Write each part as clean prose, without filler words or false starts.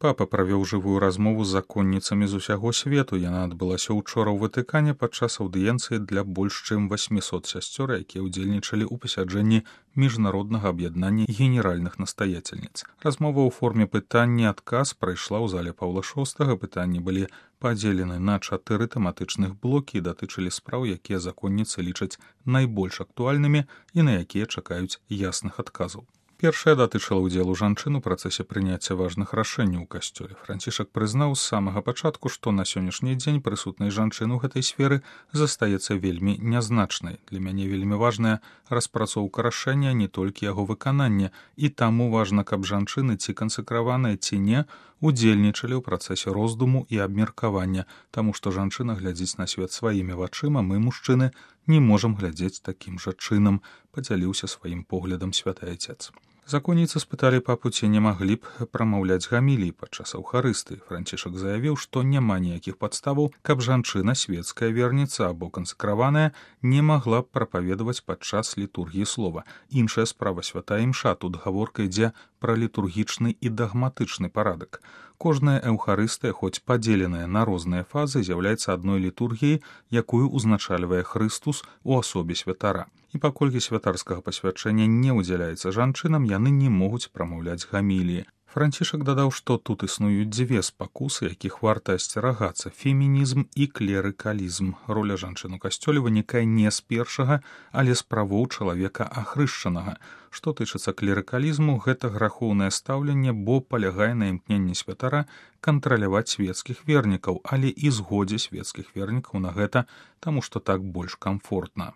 Папа правёў жывую размову з законніцамі з усяго свету. Яна адбылася ўчора ў Ватыкане падчас аўдыенцыі для больш чым 800 сясцёр, якія ўдзельнічалі ў пасяджэнні міжнароднага аб'яднання генеральных настаяцельніц. Размова ў форме пытання-адказ прайшла ў зале Паўла VI. Пытанні былі падзелены на 4 тэматычных блокі і датычылі спраў, якія законніцы лічаць найбольш актуальнымі і на якія чакаюць ясных адказаў. Першая датычыла ўдзелу жанчын у працэсе прыняцця важных рашэнняў у касцёле. Францішак прызнаў з самага пачатку, што на сённяшні дзень прысутнасць жанчын у гэтай сферы застаецца вельмі нязначнай. Для мяне вельмі важная распрацоўка рашэння, не толькі яго выкананне, і таму важна, каб жанчыны ці кансакраваныя, ці не, удзельнічалі ў працэсе роздуму і абмеркавання, таму што жанчына глядзіць на свет сваімі вачыма, мы, мужчыны, не можам глядзець такім жа чынам, падзяліўся сваім поглядам святы Айцец. Законніцы спыталі папу, ці не маглі б прамаўляць гамілій падчас аўхарыстыі. Францішак заявіў, што няма ніякіх падставаў, каб жанчына, свецкая верніца або кансакраваная, не магла б прапаведаваць падчас літургіі слова. Іншая справа святая імша, тут гаворка ідзе пра літургічны і дагматычны парадак. Кожная эўхарыстыя, хоць падзеленая на розныя фазы, з'яўляецца адной літургіяй, якую ўзначальвае Хрыстус у асобе святара. І паколькі святарскага пасвячэння не ўдзяляецца жанчынам, яны не могуць прамаўляць гаміліі. Францішак дадаў, што тут існуюць дзве спакусы, якіх варта асцерагацца – фемінізм і клерыкалізм. Роля жанчын у касцёле вынікае не з першага, але з правоў чалавека ахрышчанага. Што тычыцца клерыкалізму, гэта грахоўнае стаўленне, бо палягае на імкненні святара кантраляваць свецкіх вернікаў, але і згодзе свецкіх вернікаў на гэта, таму што так больш камфортна.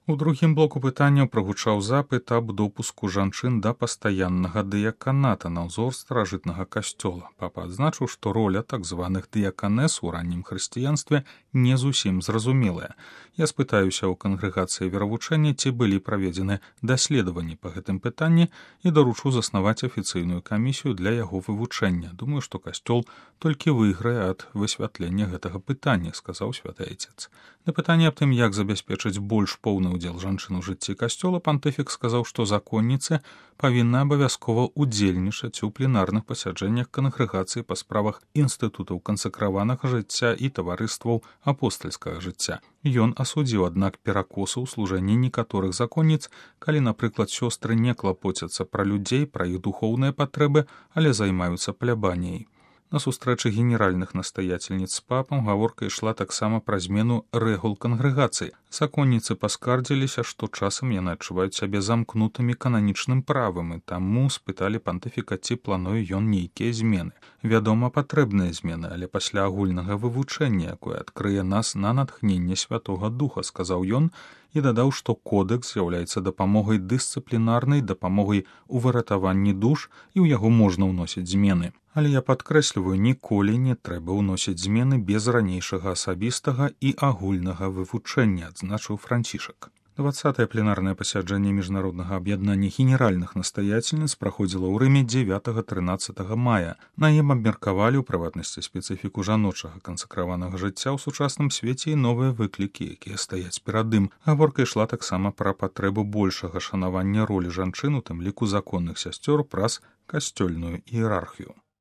У другім блоку пытанняў прагучаў запыт аб допуску жанчын да пастаяннага дыяканата на ўзор старажытнага касцёла. Папа адзначыў, што роля так званых дыяканэс у раннім хрысціянстве не зусім зразумелая. Я спытаюся ў кангрэгацыі веравучэння, ці былі праведзены даследаванні па гэтым пытанні і даручу заснаваць афіцыйную камісію для яго вывучэння. Думаю, што касцёл толькі выйграе ад высвятлення гэтага пытання, сказаў святы Айцец. На пытанне аб тым, як забяспечыць больш поўны удзел жанчын у жыцці касцёла, пантыфік сказаў, што законніцы павінны абавязкова удзельнічаць у пленарных пасяджэннях кангрэгацыі па справах інстытутаў кансакраванага жыцця і таварыстваў апостальскага жыцця. Ён асудзіў, аднак, перакосы ў служэнні некаторых законніц, калі, напрыклад, сёстры не клапоцяцца пра людзей, пра іх духоўныя патрэбы, але займаюцца плябаніяй. На сустрэчы генеральных настаяцельніц з папам гаворка ішла таксама пра змену рэгул кангрэгацыі. Законніцы паскардзіліся, што часам яны адчуваюць сябе замкнутымі кананічным правам, і таму спыталі пантыфіка, ці плануе ён нейкія змены. Вядома, патрэбныя змены, але пасля агульнага вывучэння, якое адкрые нас на натхненне Святога Духа, сказаў ён, і дадаў, што кодэкс з'яўляецца дапамогай дысцыплінарнай, дапамогай у выратаванні душ, і ў яго можна ўносіць змены. Але я падкрэсліваю, ніколі не трэба ўносіць змены без ранейшага асабістага і агульнага вывучэння, адзначыў Францішак. 20-е пленарнае пасяджэнне міжнароднага аб'яднання генеральных настаяцельніц праходзіла ў Рыме 9-13 мая. На ім абмеркавалі, у прыватнасці, спецыфіку жаночага кансакраванага жыцця ў сучасным свеце і новыя выклікі, якія стаяць перад ім. Гаворка ішла таксама пра патрэбу большага шанавання ролі жанчын, у тым ліку законных сясцёр, праз касцёльную іерархію.